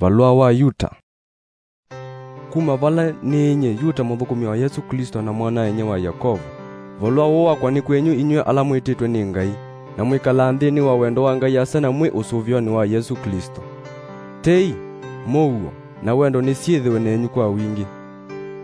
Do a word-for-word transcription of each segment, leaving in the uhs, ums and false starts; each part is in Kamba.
Valũa wa Yuta. Kuma vala nĩ nyie Yuta, mũthũkũmi wa Yesũ Klĩsto na mwana-a-inyia wa Yakovo, valũa ũũ wakwa nĩ kwenyu inyw'ĩ ala mwĩtĩtwe nĩ Ngai, na mwĩkalaa nthĩnĩ wa wendo wa Ngai Asa na mwĩ ũsũvĩonĩ wa Yesũ Klĩsto. Tei, mũuo, na wendo nĩsyĩthĩwe nenyu kwa wingĩ.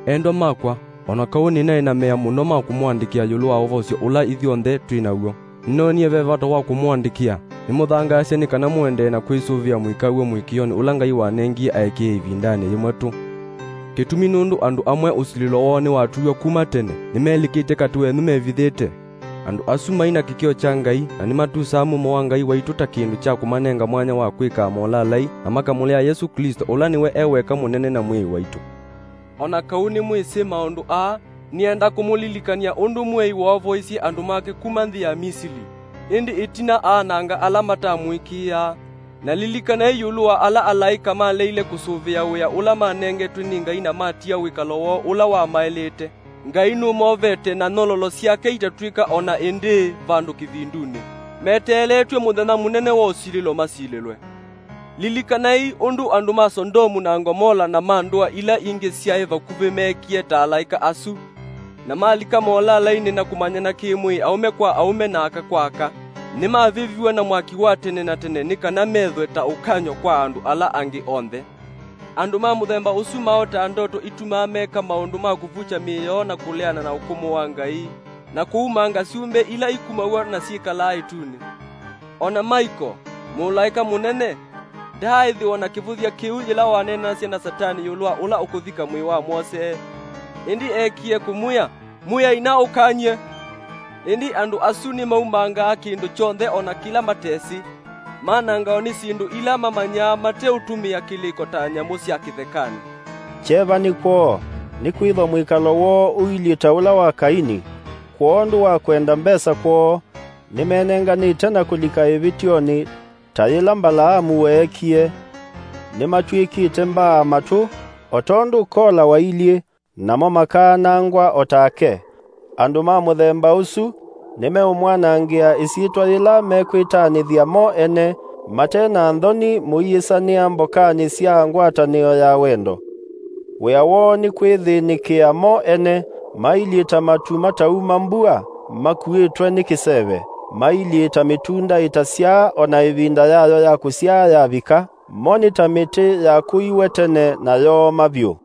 Endwa makwa, o na kau nĩnaĩ na mea mũno ma kũmũandĩkĩa ĩũlũ wa ũvosyo ũla ithyonthe twĩ naw'o, nĩnoonie ve vata wa kũmũandĩkĩa. Nĩmũthangaasya nĩ kana mũendee na kwĩsũvĩa mũikaw'e mũĩkĩĩonĩ ũla Ngai wanengie aĩkĩĩi ĩvindanĩ yĩmwe tũ. Kĩtumi nũndũ andũ amwe ũsilĩlo woo nĩwatuiwe kuma tene, nĩmelikĩte katĩ wenyu mevithĩte. Andũ asu mai na kĩkĩo kya Ngai, na nĩmatusaa mumo wa Ngai waitũ ta kĩndũ kya kũmanenga mwanya wa kwĩkaa molalai na makamũlea Yesũ Klĩsto, ũla nĩwe e weka mũnene na Mwĩai waitũ. O na kau nĩmwĩsĩ maũndũ aa, nĩenda kũmũlilikany'a ũndũ Mwĩai woovoisye andũ make kuma nthĩ ya Misili, ĩndĩ ĩtina aananga ala matamũĩkĩĩaa. Na lilikanai ĩũlũ wa ala alaĩka maleile kũsũvĩa wĩa ũla manengetwe nĩ Ngai na matia wĩkalo woo ũla wamaĩlĩte. Ngai nũmovete, na nyololo syake itatw'ĩka o na ĩndĩĩ vandũ kĩvindunĩ. Meteeletw'e mũthenya mũnene wa ũsilĩlo masilĩlwe. Lilikanai ũndũ andũ ma Sondomu na Ngomola na ma ndũa ila ingĩ syaĩ vakuvĩ meekie ta alaĩka asu, na malika molalainĩ na kũmanyana kĩ-mwĩĩ aũme kwa aũme na aka kwa aka. Nĩmavĩviw'e na mwaki wa tene na tene nĩ kana methwe ta ũkany'o kwa andũ ala angĩ onthe. Andũ ma mũthemba ũsu maotaa ndoto itumaa meka maũndũ ma kũvukya mĩĩ yoo na kũleana na ũkũmũ wa Ngai, na kũumanga syũmbe ila ikumaw'a na syĩkalaa ĩtunĩ. O na Maiko, mũlaĩka mũnene, ndaaĩthĩwa na kĩvũthya kĩu yĩla waneenanasya na Satani ĩũlũ wa ũla ũkũthika mwĩĩ wa Mwose. Ĩndĩ eekie kũmwĩa, "Mwĩai na ũkany'e." Ĩndĩ andũ asu nĩmaumangaa kĩndũ kyonthe o na kĩla matesĩ, manangawa nĩ syĩndũ ila mamanyaa mateũtũmĩa kĩlĩko ta nyamũ sya kĩthekanĩ. Kyeva nĩ kwoo, nĩkwĩthwa mwĩkalo woo ũilyĩ ta ũla wa Kaini, kwondũ wa kwenda mbesa kwoo, nĩmenenganĩte na kũlika ĩvĩtyonĩ ta yĩla Mbalaamu weekie. Nĩmatw'ĩkĩte mbaa matũ, o tondũ Kola wailyĩ, namo makaanangwa o take. Andũ ma mũthemba ũsu nĩmeũmwanangĩa ĩsyĩtwa yĩla mekwĩtanĩthya mo ene mate na nthoni mũiĩsanĩa mbokanĩ sya ngwatanĩo ya wendo. Wĩa woo nĩ kwĩthĩnĩkĩa mo ene, mailyĩ ta matu matauma mbua makuĩtwe nĩ kĩseve, mailyĩ ta mĩtunda ĩtasyaa o na ĩvinda yayo ya kũsyaa yavika, mo nĩ ta mĩtĩ yakũiwe tene na yooma vyũ.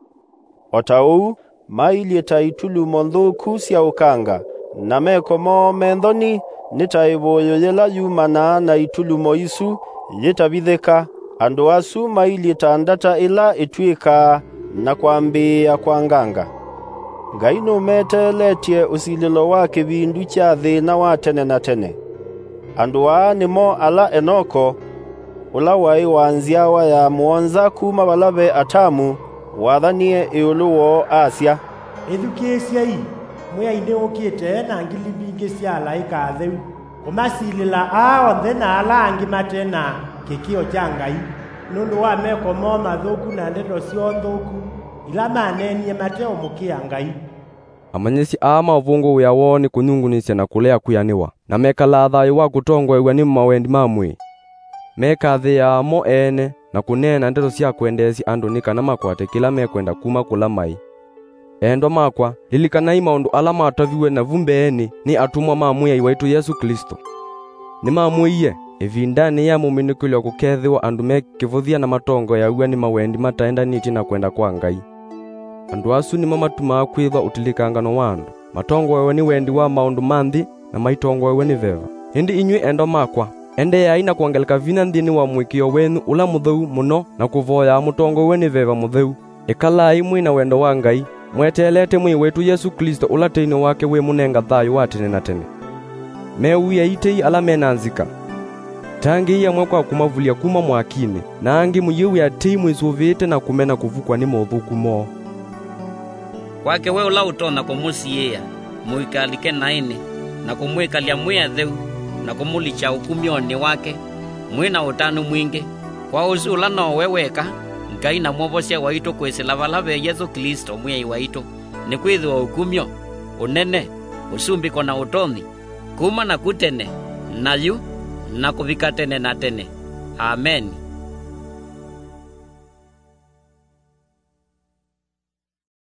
O ta ũu, mailyĩ ta itulumo nthũku sya ũkanga, na meko moo me nthoni nĩ ta ĩvũyũ yĩla yumanaa na itulumo isu yĩtavithĩka. Andũ asu mailyĩ ta ndata ĩla ĩtw'ĩkaa na kwambĩĩa kwanganga. Ngai nũmeteeletye ũsilĩlo wa kĩvindu kya thĩna wa tene na tene. Andũ aa nĩmo ala Enoko, ũla waĩ wa nzyawa ya mũonza kuma vala ve Atamu, wathanie ĩũlũ woo, asya, "Ĩthukĩĩsyei, Mwĩai nĩũkĩte e na ngili mbingĩ sya alaĩka atheu, kũmasilĩla aa onthe na ala angĩ mate na kĩkĩo kya Ngai, nũndũ wa meko moo mathũku na ndeto syoo nthũku, ila maneenie mateũmũkĩa Ngai." Amanyĩsya aa ma ũvũngũ wĩa woo nĩ kũnyungunyĩsya na kũlea kwĩanĩwa, na mekalaa thayũ wa kũtongoew'a nĩ mawendi ma mwĩĩ. Mekathĩĩaa mo ene na kũneena ndeto sya kwendeesya andũ nĩ kana makwate kĩla mekwenda kuma kũla maĩ. Endwa makwa, lilikanai maũndũ ala mataviw'e navu mbeenĩ nĩ atũmwa ma Mwĩai waitũ Yesũ Klĩsto. Nĩmamwĩie, ĩvindanĩ ya mũminũkĩlyo kũkeethĩwa andũ me kĩvũthya na matongoeaw'a nĩ mawendi mataendanĩtye na kwenda kwa Ngai. Andũ asu nĩmo matumaa kwĩthwa ũtilĩkangano wa andũ, matongoew'e nĩ wendi wa maũndũ ma nthĩ na maitongoew'e nĩ veva. Ĩndĩ inyw'ĩ endwa makwa, endeeai na kwongeleka vinya nthĩnĩ wa mũĩkĩĩo wenyu ũla mũtheu mũno na kũvoyaa mũtongoew'e nĩ veva mũtheu. Ĩkalaai mwĩ na wendo wa Ngai, mweteelete Mwĩai waitũ Yesũ Klĩsto, ũla teinĩ wake wĩmũnenga thayũ wa tene na tene. Mew'ĩei tei ala me na nzika. Tangĩĩi amwe kwa kũmavulya kuma mwakinĩ, na angĩ mũiw'ĩa tei mwĩsũvĩĩte na kũmena kũvukw'a nĩ mothũku moo. Kwake we ũla ũtonya kũmũsiĩĩa, mũikalike naĩnĩ, na kũmwĩkalya mwĩ atheu, na kũmũlikya ũkumyonĩ wake, mwĩ na ũtanu mwingĩ, kwa ũsu ũla no we weka, Ngai na Mwovosya waitũ kwĩsĩla vala ve Yesũ Klĩsto Mwĩai waitũ, nĩkwĩthĩwa ũkumyo, ũnene, ũsumbĩko na ũtonyi, kuma naku tene, na yu, na kũvika tene na tene. Ameni.